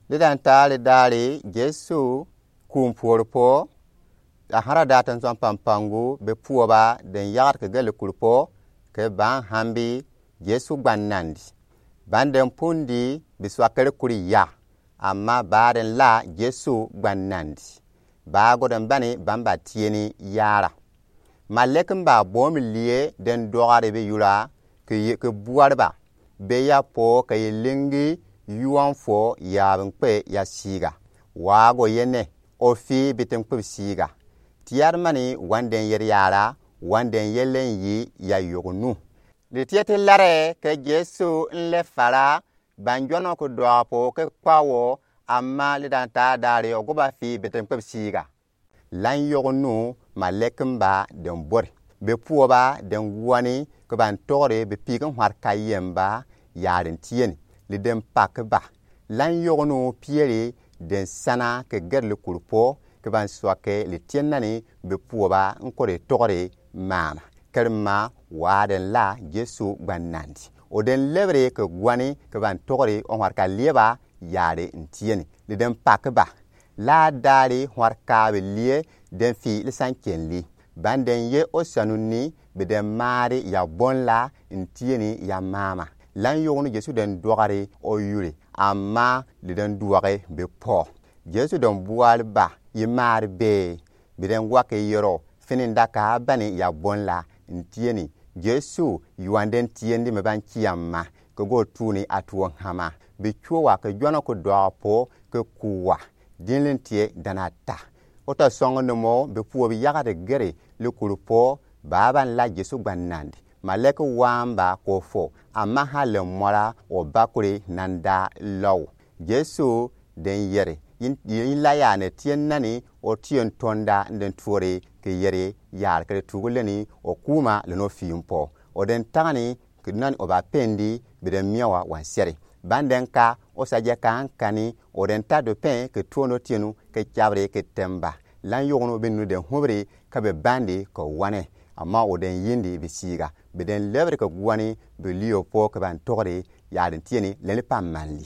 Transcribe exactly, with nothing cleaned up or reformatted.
Lidanta lidali Jesu kumpuori po, a hara data nsɔn pampangu be puoba den yagat ke gɛli kuri po, ke ban hambi Jesu gbanandi. Ban den pundi bi swakere kuri ya, amma ba den la Jesu gbanandi. Ba go den bani ban ba tieni yara. Malɛki mba bomi lie den dogari bi yura ke ye-, ke buari ba. Be ya po ke ye lingi yuan fo ya bi nkpe ya siga. Wa go ye nɛ, o fii bi ti nkpe bi siga. Tiari mani wan den yeri yara, wan den yelen yi ya yognu. Li tie ti larɛ ke Jesu nlɛ fara, ban jɔnɔ ku dɔɔ po ke kpa wɔ, amma lidanta dali o go ba fii bi ti nkpe bi siga. Lan yognu malɛki mba den bori. Be puoba den wani ke ban togri be piki hwarka yemba yari ntieni. Li den paki ba. Lan yognu pieri den sana ke gɛri li kuri po ke ban swake li tienani be puoba nkori togri mama. Kɛri ma wa den la Jesu gbanandi. O den lebri ke gwani ke ban togri o hwarka lieba yari ntieni. Li den paki ba. La dali hwarka bi lie den fii li sankenli. Ban den ye o sanu ni bi den maari ya bonla ntieni ya mama. Lan yognu Jesu den dogari o yuri, amma li den duagi bi po. Jesu den buari ba, yi maari bee. Bi den gwaki yero, fini ndaka bani ya bonla ntieni. Jesu yuan den tiendi mi ban kiamma, ke go tuni a tuo hama. Bi cuo wa ke jɔnɔ ku dɔɔ po ke ku wa. Dinli ntie dana ta. O ta sɔŋ ni mo bi puo bi yagadi gɛri li kuri po, ba ban la Jesu gbanandi. Malɛki wamba ko fo, amma ha le mɔra o bakuri nanda lɔw. Jesu den yeri, yin, yin la ya ne tien nani, o tien tonda nden tuori ke yeri yar kere tugu leni o kuma leno fimpo. O den tagani ke nani o ba pendi bi den miawa wan seri. Ban den ka o sa je ka ankani o den ta do pen ke tuono tienu ke cabri ke temba. Lan yognu bi nu den hubri ka bi bandi ke wane. Amma o den yindi bi siga. Bi den lebri ke gwani bi lio po ke ban togri ya den tieni leni pa manli.